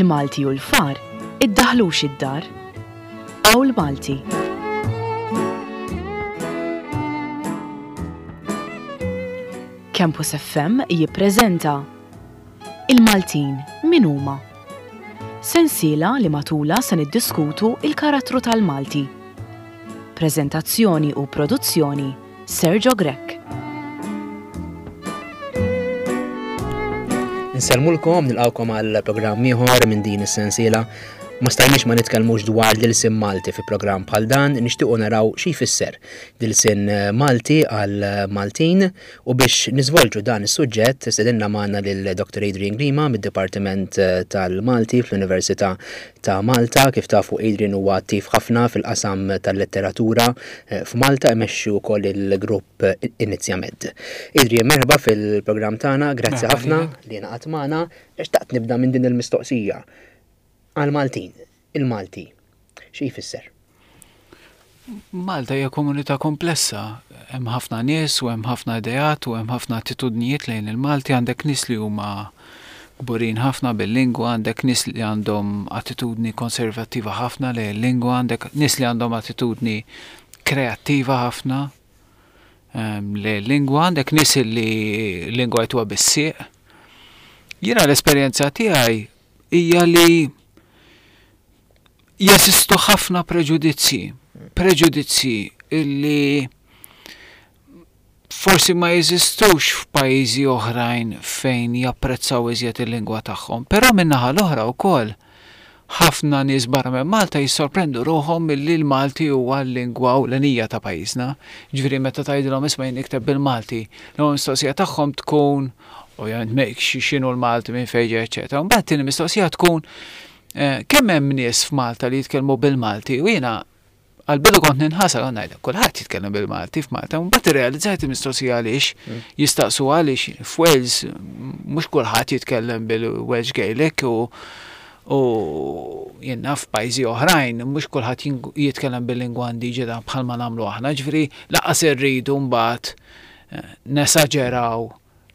Il-Malti u l-far iddaħlux id-dar. Qawl Malti. Campus FM jippreżenta Il-Maltin min huma? Sensiela li matulha se niddiskutu il-karattru tal-Malti. Preżentazzjoni u produzzjoni Sergio Grech. Insellmulkom, nilqawkom għal programm ieħor minn din is-sensiela. Ma stajniex ma nitkellmux dwar l-ilsien Malti fi programm bħal dan, nixtiequ naraw xi jfisser l-ilsien Malti għal Maltin u biex niżvolġu dan is-suġġett stedinna magħna lil Dr. Adrian Grima mid-Dipartiment tal-Malti fl-Università ta' Malta. Kif tafu Adrian huwa attiv ħafna fil-qasam tal-letteratura eh, f'Malta imexxi wkoll il-grupp Inizjamed. Adrian, merħba fil-programm tagħna, grazzi ħafna li ngħaqadt magħna. Xtaqt nibda minn din il-mistoqsija. Għal-Maltin, il-Malti, xi jfisser? Malta hija komunità komplessa, hemm ħafna nies u hemm ħafna ideat u hemm ħafna attitudnijiet lejn il-Malti, għandek nies li huma kburin ħafna bil-lingwa, għandek nies li għandhom attitudni konservattiva ħafna lejn il-lingwa, għandek nies li għandhom attitudni kreattiva ħafna ehm, lejn il-lingwa, għandek nies li l-lingwa jtuha bis-sieq. Jiena l-esperjenza tiegħi hija li jeżistu ħafna preġudizzji, preġudizzji illi forsi ma jeżistux f'pajjiżi oħrajn fejn japprezzaw iżjed il-lingwa tagħhom. Però min-naħa l-oħra wkoll ħafna nies barra minn Malta jissorprendu ruħhom milli l-Malti huwa l-lingwa ewlenija ta' pajjiżna. Ġifieri meta tgħidilhom isma' jien nikteb bil-Malti, l-ewwel mistoqsija tagħhom tkun ovvjament x'inhu l-Malti minn fejn ġej, eċetera. Mbagħad tieni mistoqsija tkun Eh, kemm hemm nies f'Malta li jitkellmu bil-Malti u jiena għal-bidu kont ninħasel għan ngħidlek kulħadd jitkellem bil-Malti f'Malta, u mbagħad irrealizzajt il-mistoqsija għaliex mm. jistaqsu għaliex f'Wales mhux kulħadd jitkellem bil-Welsh Gaelic u u jenna f'pajjiżi oħrajn mhux kulħadd jitkellem bil-lingwa indiġena bħalma nagħmlu aħna, ġifieri laqas irridu mbagħad eh, nesaġeraw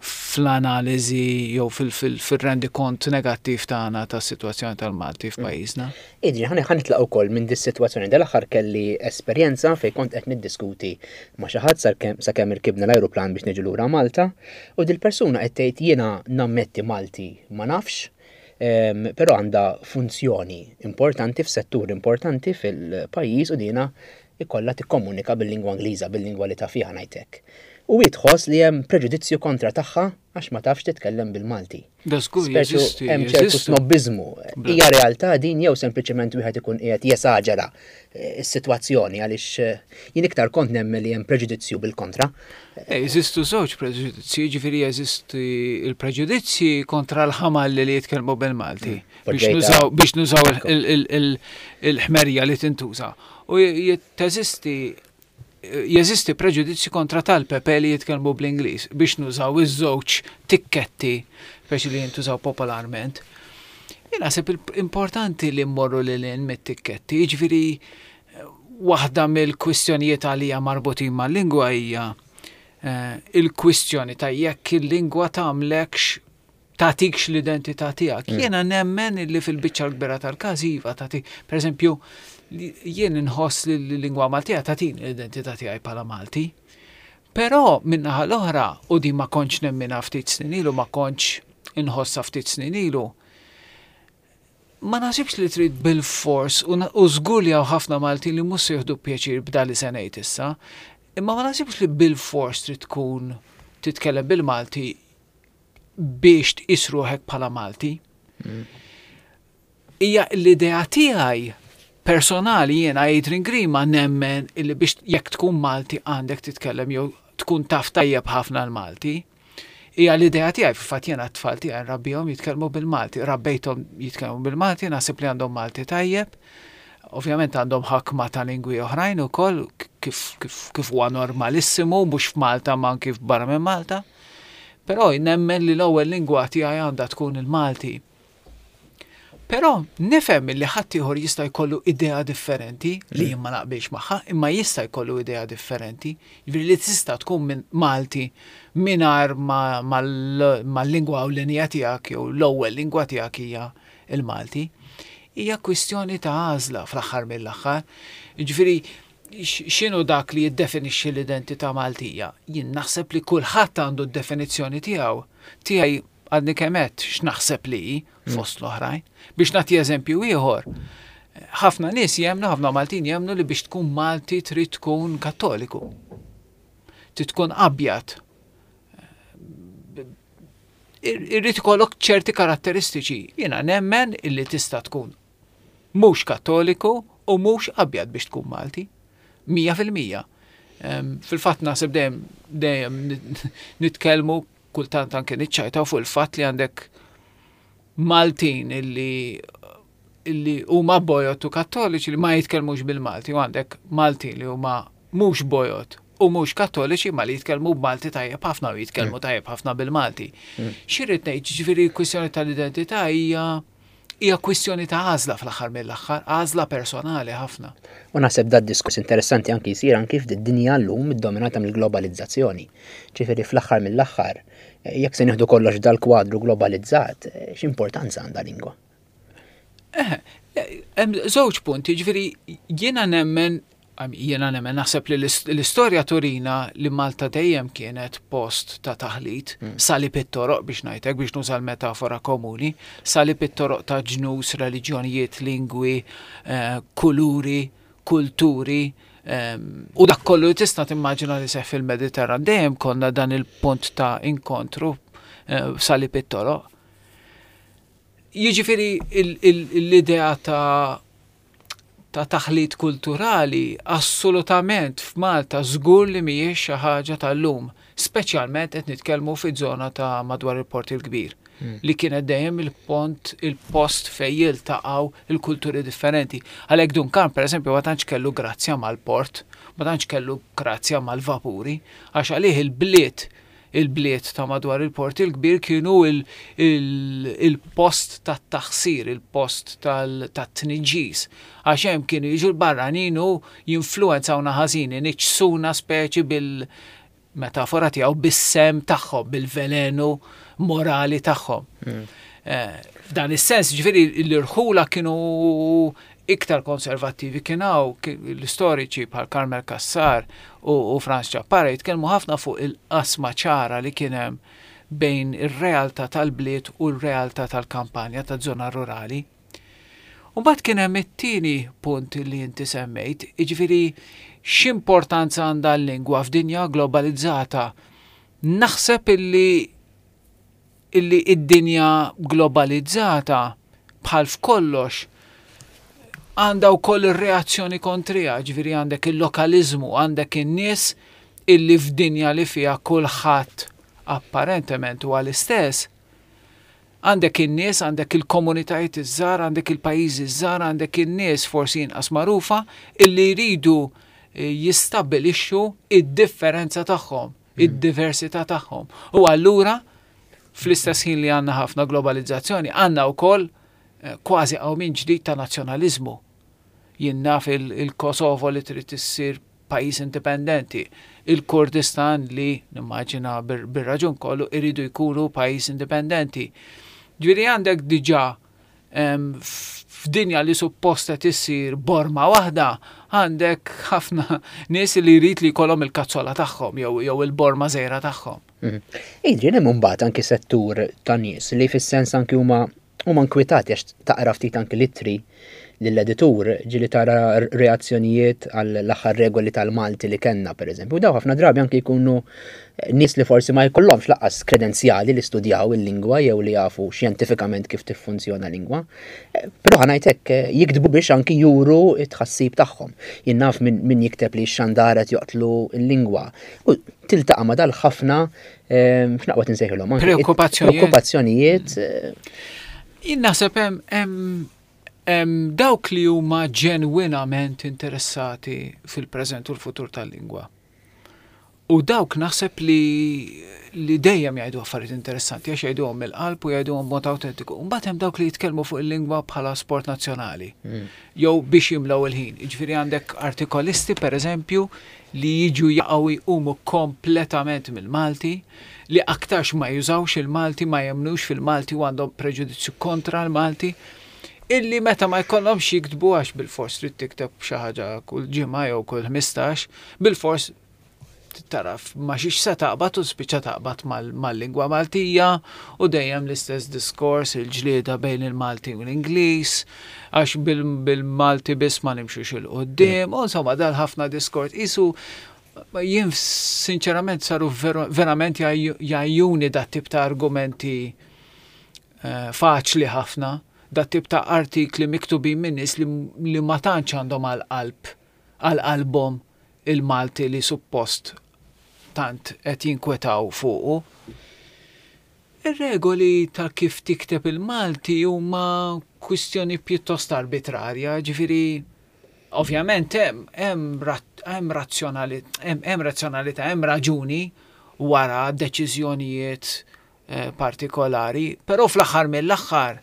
fl-analiżi jew fil-rendikont negattiv tagħna tas-sitwazzjoni tal-Malti f'pajjiżna. Adrian, ħa nitlaq ukoll minn dis-sitwazzjoni. Dal-aħħar kelli esperjenza fejn kont qed niddiskuti ma' xi ħadd sakemm irkibna l-ajruplan biex niġu lura Malta u dil-persuna qed tgħid jiena nammetti Malti ma nafx, però għandha funzjoni importanti f'settur importanti fil-pajjiż u dina ikollha tikkomunika bil-lingwa Ingliża, bil-lingwa li taf fiha ngħid hekk. U hi tħoss li hemm preġudizzju kontra tagħha għax ma tafx titkellem bil-Malti. Da żgur jeżisti. Hemm ċertu snobbiżmu. Hija realtà din jew sempliċement wieħed ikun qiegħed jesaġera eh, s-sitwazzjoni għaliex eh, jien iktar kont nemmen li hemm preġudizzju bil-kontra. Eh, jeżistu żewġ preġudizzji, ġifieri jeżisti il-preġudizzji kontra l-ħamalli li jitkellmu bil-Malti. Mm. Biex nużaw il-ħmerja li tintuża. U teżisti jeżisti preġudizzju kontra tal-Pepe li jitkellmu bl-Ingliż biex nużaw iż-żewġ tikketti speċi li jintużaw popolarment. Jien naħseb importanti li mmorru lil hinn mit-tikketti, jiġifieri waħda mill-kwistjonijiet għalija marbutin mal-lingwa hija eh, il-kwistjoni ta' jekk il-lingwa tagħmlekx tagħtikx l-identità tiegħek. Mm. Jiena nemmen li fil-biċċa l-kbira tal-każ iva tagħti, pereżempju, jien inħoss li l-lingwa Maltija tagħtini l-identità tiegħi bħala Malti. Però min-naħa l-oħra, u din ma kontx nemminha ftit snin ilu, ma kontx inħossha ftit snin ilu, ma naħsibx li trid bil-fors u żgur li hawn ħafna Maltin li mhux se jieħdu pjaċir b'dan li se ngħid issa, imma ma naħsibx li bil-fors trid tkun titkellem bil-Malti biex tqis ruħek bħala Malti. Hija l-idea tiegħi personali jiena Adrian Grima nemmen illi biex jekk tkun Malti għandek titkellem jew tkun taf tajjeb ħafna l-Malti. Hija l-idea tiegħi fil-fatt jiena t-tfal tiegħi nrabbihom jitkellmu bil-Malti, rabbejthom jitkellmu bil-Malti, naħseb li għandhom Malti tajjeb. Ovvjament għandhom ħakma ta' lingwi oħrajn ukoll kif, kif, kif huwa normalissimu mhux f'Malta ma anki barra minn Malta. Però nemmen li l-ewwel lingwa tiegħi għandha tkun il-Malti. Però nifhem li ħaddieħor jista' jkollu idea differenti li jien ma naqbilx magħha, imma jista' jkollu idea differenti. Jiġifieri li tista' tkun minn Malti mingħajr ma l-lingwa ewlenija tiegħek jew l-ewwel lingwa tiegħek hija. il-Malti. Hija kwistjoni ta' għażla fl-aħħar mill-aħħar. Jiġifieri x'inhu dak li jiddefinixxi l-identità Maltija? Jien naħseb li kulħadd għandu d-definizzjoni tiegħu. Tiegħi għadni kemm għedt x'naħseb li hi fost l-oħrajn. Biex nagħti eżempju ieħor, ħafna nies jemmnu, ħafna Maltin jemmnu li biex tkun Malti trid tkun Kattoliku. Trid tkun abjad. Irrid ikollok ċerti karatteristiċi. Jiena nemmen illi tista' tkun mhux Kattoliku u mhux abjad biex tkun Malti. 100%. Fil-fatt naħseb dejjem dejjem nitkellmu kultant anke niċċajtaw fuq il-fatt li għandek Maltin illi illi huma bojod u kattoliċi li ma jitkellmux bil-Malti u għandek Maltin li huma mhux bojod u mhux kattoliċi ma li jitkellmu b'Malti tajjeb ħafna u jitkellmu mm. tajjeb ħafna bil-Malti. Mm. Xirrid ngħid, ġifieri l-kwistjoni tal-identità hija hija kwistjoni ta' għażla fl-aħħar mill-aħħar, għażla personali ħafna. U naħseb dad diskors interessanti anki jsir anki f'did-dinja llum iddominata mill-globalizzazzjoni. Ġifieri fl-aħħar mill-aħħar, jekk se nieħdu kollox dal-kwadru globalizzat, x'importanza għandha lingwa? Eh, hemm żewġ punti, ġifieri jiena nemmen Jiena nemmen naħseb li l-istorja turina li Malta dejjem kienet post ta' taħlit, mm. salib it-toroq biex ngħidlek biex nuża l-metafora komuni, salib it-toroq ta' ġnus, reliġjonijiet, lingwi, eh, kuluri, kulturi, ehm, u dak kollu li tista' timmaġina li seħ fil-Mediterran dejjem konna dan il-punt ta' inkontru eh, salib it-toroq. Jiġifieri l-idea ta' ta' taħlit kulturali assolutament f'Malta żgur li mhijiex xi ħaġa tal-lum, speċjalment qed nitkellmu fiż-żona ta' madwar il-Port il-Kbir, hmm. li kienet dejjem il-pont, il-post fejn jiltaqgħu il-kulturi differenti. Għalhekk Dun Karm pereżempju ma tantx kellu grazzja mal-port, ma tantx kellu grazzja mal-vapuri, għax għalih il-bliet Il-bliet ta' madwar il-Port il-Kbir kienu il-post tat-taħsir, il-post tat-tniġġis, għax hemm kienu jiġu l-barranin u jinfluwenzawna ħażin, iniġġsuna speċi bil-metafora tiegħu bis-semm tagħhom, bil-velenu morali tagħhom. Eh, f'dan is-sens, ġifieri l-irħula kienu iktar konservattivi kien hawn l-istoriċi bħal Carmel Cassar u Frans Ciappara jitkellmu ħafna fuq il-qasma ċara li kien hemm bejn ir-realtà tal-bliet u r-realtà tal-kampanja taż-żona rurali. U mbagħad kien hemm it-tieni punt li inti semmejt, jiġifieri x'importanza għandha l-lingwa f'dinja globalizzata. Naħseb illi illi id-dinja globalizzata bħal f'kollox għandha wkoll ir-reazzjoni kontriha, ġifieri għandek il-lokaliżmu, għandek in-nies illi f'dinja li fiha kulħadd apparentement huwa l-istess, għandek in-nies, għandek il-komunitajiet iż-żgħar, għandek il-pajjiżi ż-żgħar, għandek in-nies forsi inqas magħrufa illi jridu eh, jistabbilixxu id-differenza tagħhom. id-diversità tagħhom. U allura fl-istess ħin li għandna ħafna globalizzazzjoni, għandna wkoll eh, kważi qawmien ġdid ta' nazzjonaliżmu. Jien naf il-Kosovo li trid issir pajjiż indipendenti, il-Kurdistan li nimmaġina bir-raġun kollu iridu jkunu pajjiż indipendenti. Ġifieri għandek diġà f'dinja li suppost qed issir borma waħda, għandek ħafna nies li jrid li jkollhom il-kazzola tagħhom jew il-borma żgħira tagħhom. Mhm. Adrian, hemm imbagħad anki settur ta' nies li fis-sens anki huma huma nkwitati għax taqra ftit anki l-ittri lill-editur ġieli tara reazzjonijiet għall-aħħar regoli tal-Malti li kellna pereżempju. U daw ħafna drabi anki jkunu eh, nies li forsi ma jkollhomx laqqas kredenzjali li studjaw il-lingwa jew li jafu xjentifikament kif tiffunzjona lingwa. Eh, però ħa ngħid hekk eh, jiktbu biex anki juru t-tħassib tagħhom. Jien naf min jikteb li x-xandara qed joqtlu l-lingwa. U tiltaqa' ma dal ħafna x'naqwa tinsejħilhom. Preokkupazzjonijiet. Preokkupazzjonijiet. Jien naħseb hemm Hemm dawk li huma ġenwinament interessati fil-preżent u l-futur tal-lingwa. U dawk naħseb li li dejjem jgħidu affarijiet interessanti għax jgħiduhom mill-qalb u jgħiduhom b'mod awtentiku. Mbagħad hemm dawk li jitkellmu fuq il-lingwa bħala sport nazzjonali mm. jew biex jimlew il-ħin. Jiġifieri għandek artikolisti pereżempju li jiġu jaqgħu jqumu kompletament mill-Malti, li aktarx ma jużawx il-Malti, ma jemmnux fil-Malti u għandhom preġudizzju kontra l-Malti. Illi meta ma jkollhomx jiktbu għax bilfors trid tikteb xi ħaġa kull ġimgħa jew kull 15, bilfors taraf ma xiex se taqbad u spiċċa taqbad mal-lingwa Maltija u dejjem l-istess diskors il-ġlieda bejn il-Malti u l-Ingliż għax bil-Malti biss ma nimxux 'il quddiem u insomma dal ħafna diskors qisu jien sinċerament saru verament jgħajjuni dat tip ta' argumenti eh, faċli ħafna, dat tip ta' artikli miktubin minn nies li, li ma tantx għandhom għal qalb għal qalbhom il-Malti li suppost tant qed jinkwetaw fuqu. Ir-regoli ta' kif tikteb il-Malti huma kwistjoni pjuttost arbitrarja, ġifieri ovvjament hemm hemm hemm razzjonali hemm razzjonalità, hemm raġuni wara deċiżjonijiet eh, partikolari, però fl-aħħar mill-aħħar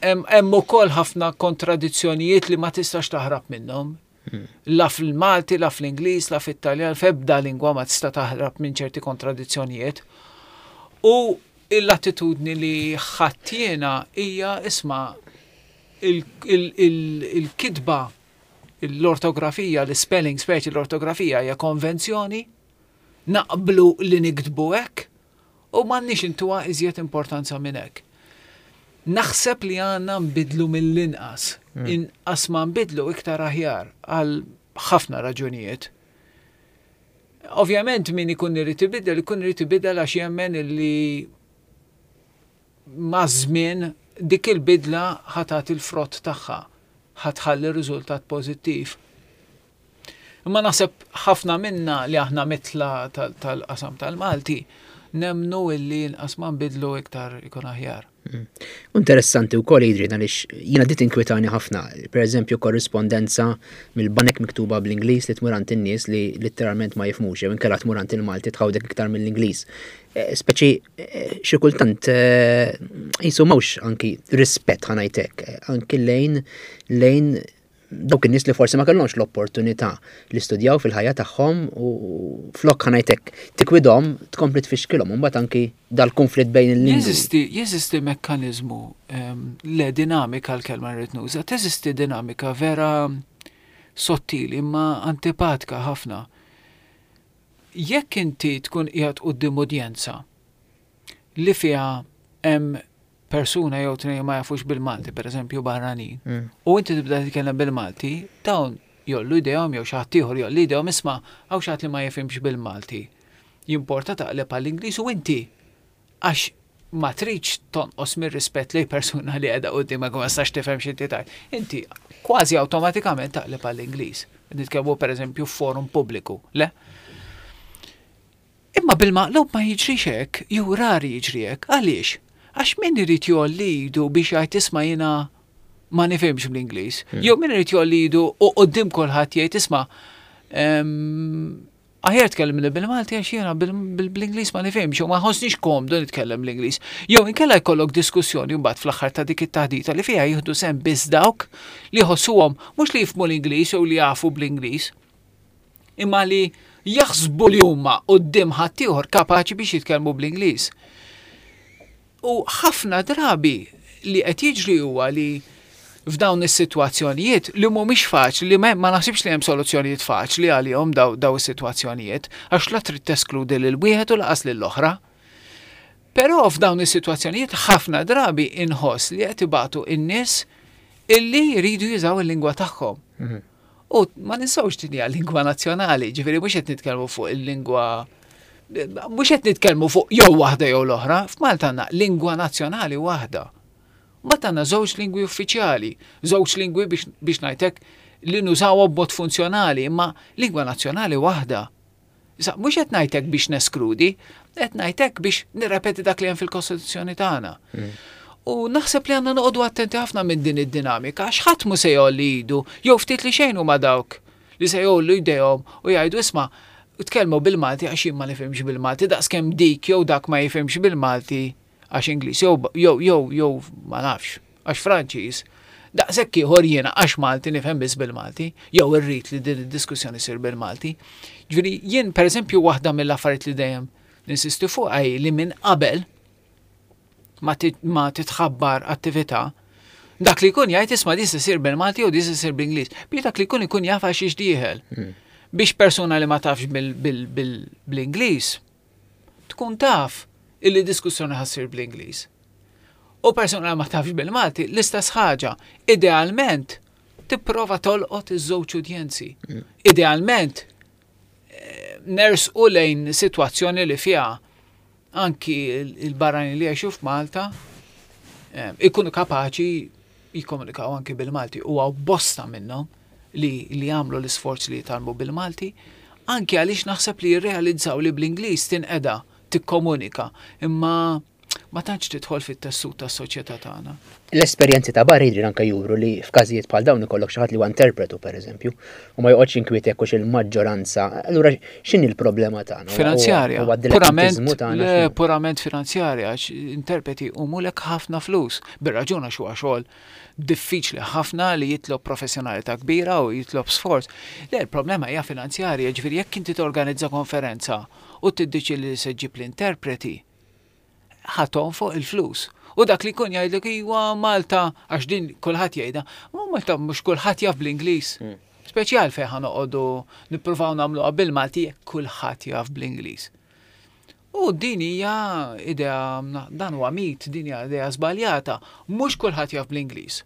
hemm ukoll ħafna kontradizzjonijiet li ma tistax taħrab minnhom. Hmm. La fil-Malti, la fl-Ingliż, la fit-Taljan, f'ebda lingwa ma tista' taħrab minn ċerti kontradizzjonijiet. U l-attitudni li ħadd jiena hija isma' il-kitba, l-ortografija, l-spelling speċi l-ortografija hija konvenzjoni, naqblu li niktbu hekk u m'għandniex intuha iżjed importanza minn hekk. Naħseb li għandna nbidlu mill-inqas. Hmm. Inqas ma nbidlu iktar aħjar għal ħafna raġunijiet. Ovvjament min ikun irid ibiddel, ikun irid ibiddel għax jemmen illi maż-żmien dik il-bidla ħa tagħti l-frott tagħha, ħa tħalli riżultat pożittiv. Imma naħseb ħafna minna li aħna mitla tal-qasam tal-Malti nemmnu illi inqas ma nbidlu iktar ikun aħjar. Mm. Interessanti wkoll Adrian għaliex jiena dit inkwitani ħafna. Per eżempju korrispondenza mill-banek miktuba bl-Ingliż li tmur għand in-nies li letteralment ma jifhmux jew inkella tmur għand il-Malti tħawdek iktar mill-Ingliż. Eh, speċi eh, xi kultant eh, jisu mhux anki rispett ħanajtek, anki lejn lejn dawk in-nies li forsi ma kellhomx l-opportunità li studjaw fil-ħajja tagħhom u flok ħanajtek tikwidhom tkompli tfixkilhom u mbagħad anki dal-konflitt bejn il-lingwi. Jeżisti, jeżisti mekkaniżmu ehm, le dinamika l-kelma rrid nuża, teżisti dinamika vera sottili imma antipatika ħafna. Jekk inti tkun qiegħed quddiem udjenza li fiha hemm persuna jew tnejn ma jafux bil-Malti, per eżempju barranin, mm. u inti tibda titkellem bil-Malti, dawn jollu idejhom jew xi ħadd ieħor jolli idejhom isma' hawn xi ħadd li ma jifhimx bil-Malti. Jimporta taqleb għall-Ingliż u inti għax ma tridx tonqos mir-rispett lejn persuna li qiegħda quddiemek u ma tistax tifhem x'inti tgħid. Inti kważi awtomatikament taqleb għall-Ingliż. Nitkellmu pereżempju f'forum pubbliku, le? Imma bil-maqlub ma jiġrix hekk, jew rari jiġri hekk. Għaliex? Għax min irid jgħolli idu biex jgħid isma' jiena ma nifhimx bl-Ingliż. Hmm. Jew min irid jgħolli idu u quddiem kulħadd jgħid isma' aħjar tkellimni bil-Malti għax jiena bl-Ingliż ma nifhimx u ma nħossnix komdu nitkellem bl-Ingliż. Jew inkella jkollok diskussjoni mbagħad fl-aħħar ta' dik it-taħdita li fiha jieħdu sehem biss dawk li jħossuhom mhux li jifhmu l-Ingliż jew li jafu bl-Ingliż, imma li jaħsbu li huma quddiem ħaddieħor kapaċi biex jitkellmu bl-Ingliż. U ħafna drabi li qed jiġri huwa li f'dawn is-sitwazzjonijiet li mhumiex faċli, li ma naħsibx li hemm soluzzjonijiet faċli għalihom daw, daw is-sitwazzjonijiet, għax la trid teskludi lil wieħed u laqas lil oħra. Però f'dawn is-sitwazzjonijiet ħafna drabi inħoss li qed ibatu in-nies illi jridu jużaw il-lingwa tagħhom. Mhm. U ma ninsawx din hija lingwa nazzjonali, ġifieri mhux qed nitkellmu fuq il-lingwa mhux qed nitkellmu fuq jew waħda jew l-oħra, f'Malta għandna lingwa nazzjonali waħda. Mbagħad għandna żewġ lingwi uffiċjali, żewġ lingwi biex, biex ngħidlek li nużawhom b'mod funzjonali, imma lingwa nazzjonali waħda. Issa, mhux qed ngħid hekk biex neskludi, qed ngħid hekk biex nirrepeti dak li hemm fil-Kostituzzjoni tagħna. Mm. U naħseb li għandna noqogħdu attenti ħafna minn din id-dinamika, għax ħadd mu se jgħolli idu, jew ftit li xejn huma dawk li se jgħollu jdejhom u jgħidu isma' tkellmu bil-Malti għax jien ma nifhimx bil-Malti, daqskemm dik jew dak ma jifhimx bil-Malti għax Ingliż jew jew jew jew ma nafx għax Franċiż, daqshekk ieħor jiena għax Malti nifhem biss bil-Malti, jew irrid li din id-diskussjoni ssir bil-Malti. Ġifieri jien pereżempju waħda mill-affarijiet li dejjem ninsisti fuqha hi li minn qabel ma titħabbar attività, dak li jkun jgħid isma' di se ssir bil-Malti jew di se ssir bl-Ingliż. Biex dak li jkun ikun jaf għal xiex dieħel. Biex persuna li ma tafx bl-Ingliż tkun taf illi diskussjoni ħa ssir bl-Ingliż. U persuna li ma tafx bil-Malti l-istess ħaġa. Idealment tipprova tolqot iż-żewġ udjenzi. Idealment eh, nersqu lejn sitwazzjoni li fiha anki il-barranin li jgħixu f'Malta eh, ikunu kapaċi jikkomunikaw anki bil-Malti u hawn bosta minnhom li li jagħmlu l-isforz li jitgħallmu bil-Malti, anki għaliex naħseb li jirrealizzaw li bl-Ingliż tinqeda tikkomunika, imma ma tantx tidħol fit-tessut tas-soċjetà tagħna. L-esperjenzi ta' barra jidri anke juru li f'każijiet bħal dawn ikollok xi ħadd li huwa interpretu pereżempju, u ma joqgħodx inkwiet jekk hux il-maġġoranza. Allura x'inhi l-problema tagħna? Finanzjarja. Purament, le, purament finanzjarja, għax interpreti humulek ħafna flus. Bir-raġun għax huwa xogħol diffiċli ħafna li jitlob professjonalità kbira u jitlob sforz. Le, il-problema hija finanzjarja, ġifieri jekk inti torganizza konferenza u tiddeċiedi li se ġġib l-interpreti, ħa tonfoq il-flus. U dak li jkun jgħidlek iwa Malta, għax din kulħadd jgħidha, ma Malta mhux kulħadd jaf bl-Ingliż. Mm. Speċjal fejn ħa noqogħdu nippruvaw nagħmluha bil-Malti jekk kulħadd jaf bl-Ingliż. U din hija idea, dan huwa mit, din hija idea żbaljata, mhux kulħadd jaf bl-Ingliż.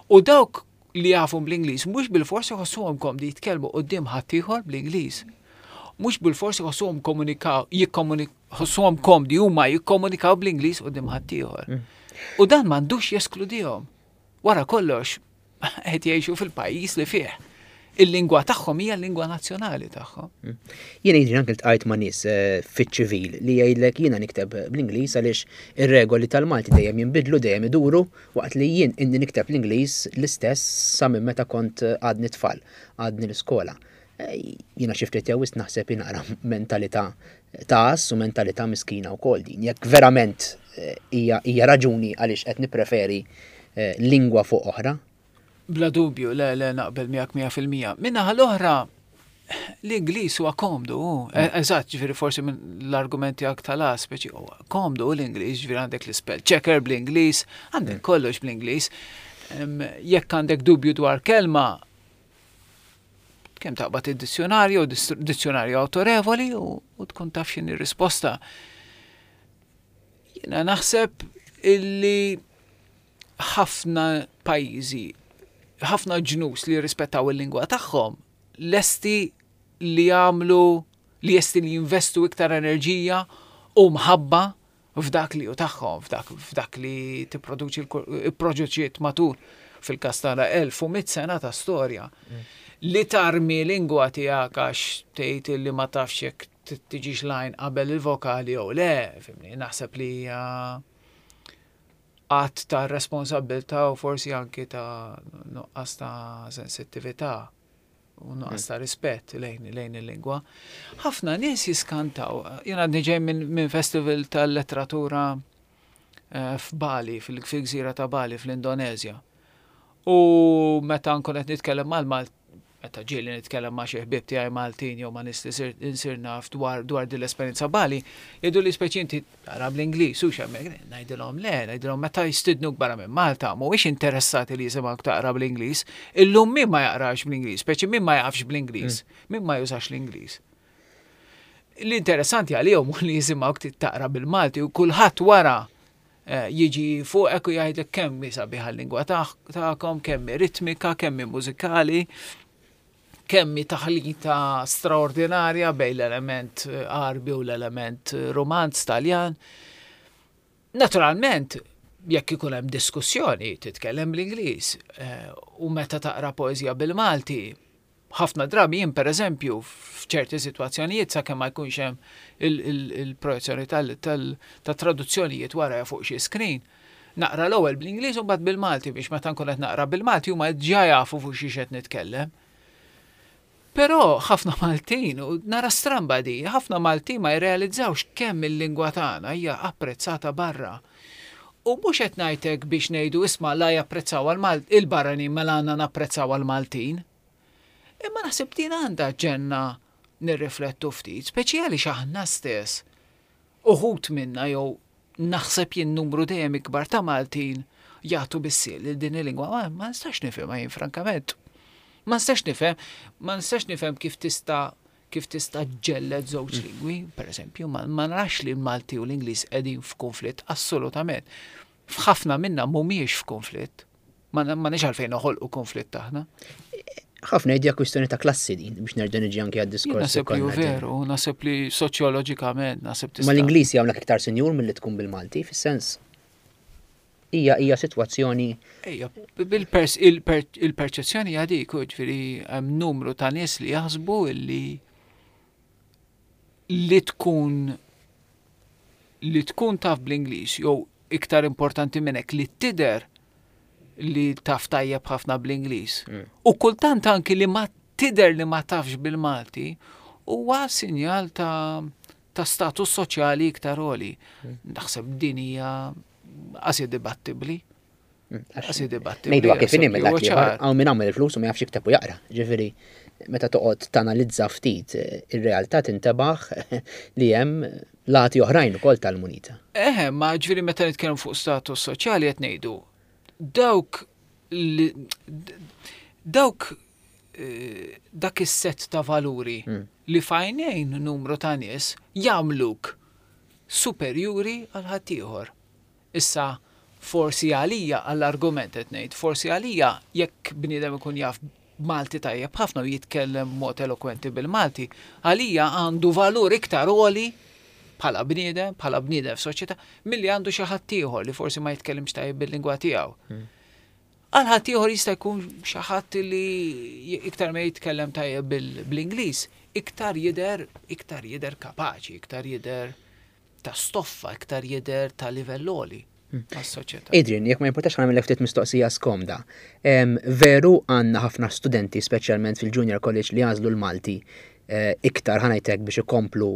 U dawk li jafu bl-Ingliż mhux bilfors iħossuhom komdi jitkellmu quddiem ħaddieħor bl-Ingliż. Mhux bilfors iħossuhom komunikaw, jikkomunik, komdi huma jikkomunikaw bl-Ingliż quddiem ħaddieħor. Mm. U dan m'għandux jeskludihom. Wara kollox, qed jgħixu fil-pajjiż li fih il-lingwa tagħhom hija l-lingwa nazzjonali tagħhom. Mm. Jiena jiġri anke ltqajt ma' nies eh, fiċ-ċivil li jgħidlek jiena nikteb bl-Ingliż għaliex ir-regoli tal-Malti dejjem jinbidlu, dejjem iduru, waqt li jien inni nikteb l-Ingliż l-istess sa minn meta kont eh, għadni tfal, għadni l-iskola. Eh, jiena xi ftit jew naħseb naqra mentalità ta' u mentalità miskina wkoll din. Jekk verament hija raġuni għaliex qed nippreferi lingwa fuq oħra, Bla dubju, le, le, naqbel miegħek 100%. Min-naħa l-oħra, l-Ingliż huwa komdu, mm. e, eżatt, ġifieri forsi minn l-argumenti tiegħek tal speċi huwa komdu l-Ingliż, ġifieri għandek l-spell checker bl-Ingliż, għandek mm. kollox bl-Ingliż. Jekk għandek dubju dwar kelma, kemm taqbad id-dizzjonarju, dizzjonarju autorevoli u tkun taf x'inhi risposta. Jiena naħseb illi ħafna pajjiżi, ħafna ġnus li jirrispettaw il-lingwa tagħhom lesti li jagħmlu li jesti li jinvestu iktar enerġija u mħabba f'dak li hu tagħhom, f'dak, f'dak li tipproduċi l-proġeċiet matul fil-każ tagħna 1100 sena ta' storja. Mm. Li tarmi lingwa tiegħek għax tgħid li ma tafx jekk tiġix lajn qabel il-vokali jew le, fimni, naħseb li hija att ta' responsabbiltà u forsi anki ta' nuqqas ta' sensittività u nuqqas ta' rispett lejn, lejn il-lingwa. Ħafna nies jiskantaw. Jien għadni ġej minn min festival tal-letteratura eh, f'Bali, fil-gżira ta' Bali fl-Indonezja. U meta nkun qed nitkellem mal-Malt meta ġieli nitkellem ma' xi ħbieb tiegħi Maltin jew ma' nies li insir naf dwar dwar din l-esperjenza Bali, jgħidu li speċi inti tara bl-Ingliż hux hemmhekk. Ngħidilhom le, ngħidilhom meta jistidnuk barra minn Malta mhuwiex interessati li jisimgħuk taqra bl-Ingliż. Illum min ma jaqrax bl-Ingliż, speċi min ma jafx bl-Ingliż, mm. min ma jużax l-Ingliż. L-interessanti għalihom li jisimgħuk taqra bil-Malti u kulħadd wara Eh, jiġi fuqek u jgħidlek kemm hi sabiħa l-lingwa tagħkom, kemm hi ritmika, kemm hi mużikali, kemm hi taħlita straordinarja bejn l-element eh, Għarbi u l-element eh, Romanz Taljan. Naturalment, jekk ikun hemm diskussjoni titkellem bl-Ingliż u meta taqra poeżija bil-Malti, Ħafna drabi jien pereżempju f'ċerti sitwazzjonijiet sakemm ma jkunx hemm il-projezzjoni tat-traduzzjonijiet warajja fuq xi screen, naqra l-ewwel bl-Ingliż u mbagħad bil-Malti biex meta nkun qed naqra bil-Malti huma diġà jafu fuq xiex qed nitkellem. Però ħafna Maltin, u nara stramba di, ħafna Maltin ma jirrealizzawx kemm il-lingwa tagħna hija apprezzata barra. U mhux qed ngħid hekk biex ngħidu isma' la japprezzawha il-barranin mela għandna napprezzawha l-Maltin. Imma naħseb din għandha ġenna nirriflettu ftit, speċi għaliex aħna stess, uħud minna jew Naħseb jien numru dejjem ikbar ta' Maltin jagħtu bis-sieq lil din il-lingwa. Ma, ma nistax nifhimha jien frankament. Ma nistax nifhem, ma nistax nifhem kif tista' kif tista' ġġelled żewġ lingwi, per eżempju, ma, ma narax li l-Malti u l-Ingliż qegħdin f'konflitt, assolutament. F'ħafna minna mhumiex f'konflitt. Ma m'għandniex għalfejn noħolqu konflitt aħna. Ħafna jgħidu kwistjoni ta' klassi din biex nerġa' niġi anke għad-diskors. Naħseb li hu veru, naħseb li soċjoloġikament naħseb tista'. Ma l-Ingliż jagħmlek iktar sinjur milli tkun bil-Malti, fis-sens. Hija hija sitwazzjoni. Ejja, il-perċezzjoni hija dik, ġifieri hemm numru ta' nies li jaħsbu li li tkun li tkun taf bl-Ingliż jew iktar importanti minn hekk li tidher li taf tajjeb ħafna bl-Ingliż. U kultant anki li ma tidher li ma tafx bil-Malti huwa sinjal ta' ta' status soċjali iktar għoli. Naħseb din hija qasi dibattibbli. Qasi dibattibbli. Ngħidu kif inhi mill hawn min għamel il-flus u ma jafx jikteb u jaqra. Ġifieri meta toqgħod tanalizza ftit ir-realtà tintebaħ li hemm lati oħrajn ukoll tal-munita. Eħe, ma ġifieri meta nitkellmu fuq status soċjali qed ngħidu dawk li dawk eh, dak is-set ta' valuri li f'għajnejn numru ta' nies jagħmluk superjuri għal ħaddieħor. Issa forsi għalija għall-argument qed ngħid, forsi għalija jekk bniedem ikun jaf Malti tajjeb ħafna u jitkellem b'mod elokwenti bil-Malti, għalija għandu valur iktar għoli bħala bniedem, bħala bniedem f'soċjetà, milli għandu xi ħadd ieħor li forsi ma jitkellimx tajjeb bil-lingwa tiegħu. Għal ħadd ieħor jista' jkun xi ħadd li iktar ma jitkellem tajjeb bl-Ingliż, iktar jidher iktar jidher kapaċi, iktar jidher ta' stoffa, iktar jidher ta' livell għoli għas-soċjetà. Adrian, jekk ma jimpurtax nagħmel ftit mistoqsija skomda. Veru għandna ħafna studenti, speċjalment fil-Junior College, li għażlu l-Malti eh, iktar ħa ngħidlek biex ikomplu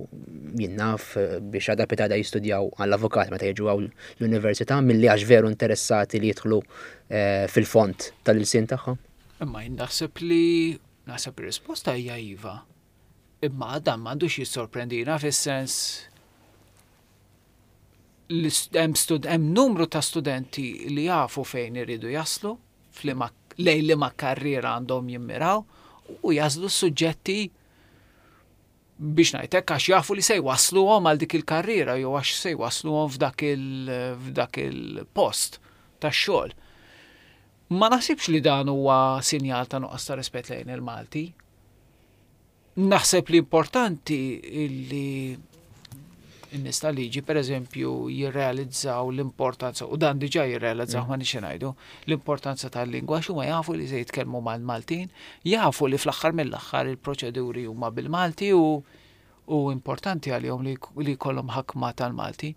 jien naf eh, biex għada pitgħada jistudjaw għall-avukat meta jiġu hawn l-università milli għax veru interessati li jidħlu eh, fil-fond tal-ilsien tagħhom. Imma jien naħseb li naħseb ir-risposta hija iva. Imma dan m'għandux jissorprendina fis-sens li hemm stud hemm numru ta' studenti li jafu fejn iridu jaslu, f'liema lejn liema karriera għandhom jimmiraw u jagħżlu s-suġġetti biex ngħidlek għax jafu li se jwassluhom għal dik il-karriera jew għax se jwassluhom f'dak il f'dak il-post tax-xogħol. Ma naħsibx li dan huwa sinjal ta' nuqqas ta' rispett lejn il-Malti. Naħseb li importanti li n-nies tal-liġi pereżempju jirrealizzaw l-importanza, u dan diġà jirrealizzaw ma nix ngħidu, l-importanza tal-lingwa għax huma jafu li se jitkellmu mal-Maltin, jafu li fl-aħħar mill-aħħar il-proċeduri huma bil-Malti u u importanti għalihom li jkollhom ħakma tal-Malti.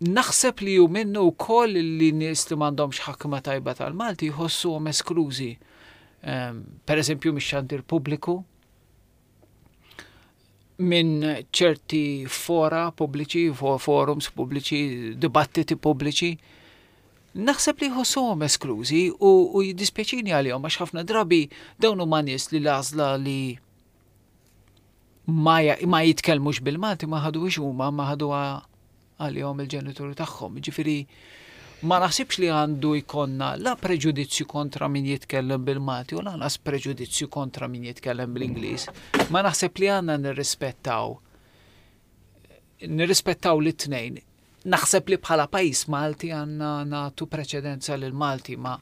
Naħseb li hu minnu wkoll li nies li m'għandhomx ħakma tajba tal-Malti jħossuhom esklużi. Per eżempju mix-xandir pubbliku, minn ċerti fora pubbliċi, forums pubbliċi, dibattiti pubbliċi, naħseb li jħossuhom esklużi u, u jiddispjaċini għalihom għax ħafna drabi dawn huma nies li l-għażla li ma, ma jitkellmux bil-Malti ma ħaduhiex huma, ma ħaduha għalihom il-ġenituri tagħhom. Ġifieri ma naħsibx li għandu jkollna la preġudizzju kontra min jitkellem bil-Malti u lanqas preġudizzju kontra min jitkellem bl-Ingliż. Ma naħseb li għandna nirrispettaw nirrispettaw li tnejn. Naħseb li bħala pajjiż Malti għandna nagħtu preċedenza lil Malti ma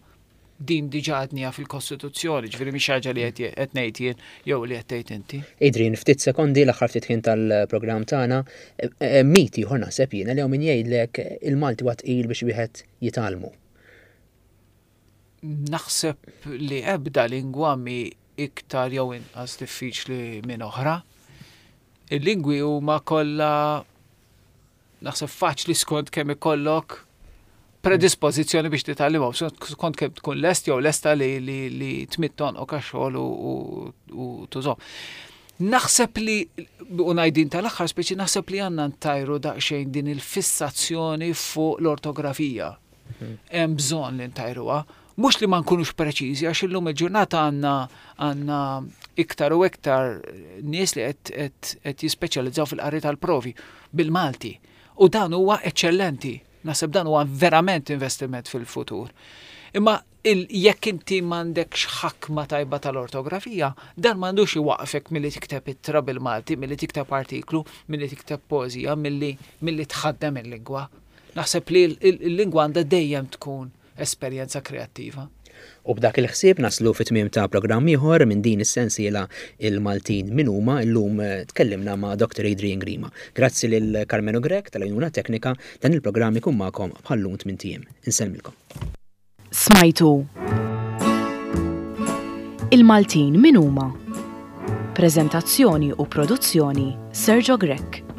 din diġà għadniha fil-Kostituzzjoni, ġifieri mhix ħaġa li qed ngħid jien jew li qed tgħid inti. Adrian, ftit sekondi l-aħħar ftit ħin tal-programm tagħna, eh, eh, mit ieħor naħseb jiena li hawn min jgħidlek il-Malti huwa tqil biex wieħed jitgħallmu. Naħseb li ebda lingwa mi iktar jew inqas diffiċli minn oħra. Il-lingwi huma kollha naħseb faċli skont kemm ikollok predispożizzjoni biex titgħallimhom, skont kemm tkun lest jew lesta li, li, li tmidd tonqok għax-xogħol u, u, u tużhom. Naħseb li, u ngħidin tal-aħħar speċi, naħseb li għandna ntajru daqsxejn din il-fissazzjoni fuq l-ortografija. Hemm bżonn li ntajruha. Mhux li ma nkunux preċiżi, għax illum il-ġurnata għandna għandna iktar u iktar nies li qed qed qed jispeċjalizzaw fil-qari tal-provi bil-Malti. U dan huwa eċċellenti. Naħseb dan huwa verament investiment fil-futur. Imma jekk inti m'għandekx ħakma tajba tal-ortografija, dan m'għandux iwaqqfek milli tikteb ittra bil-Malti, milli tikteb artiklu, milli tikteb poeżija, milli milli tħaddem il-lingwa. Naħseb li l-lingwa għandha dejjem tkun esperjenza kreattiva. U b'dak il-ħsieb naslu fi tmiem ta' programm ieħor minn din is-sensiela Il-Maltin Min Huma. Illum tkellimna ma' Dr. Adrian Grima. Grazzi lil Karmenu Grech tal-għajnuna teknika. Dan il-programm ikun magħkom bħal-lum tmint ijiem. Insellmilkom. Smajtu Il-Maltin Min Huma? Preżentazzjoni u produzzjoni Sergio Grech.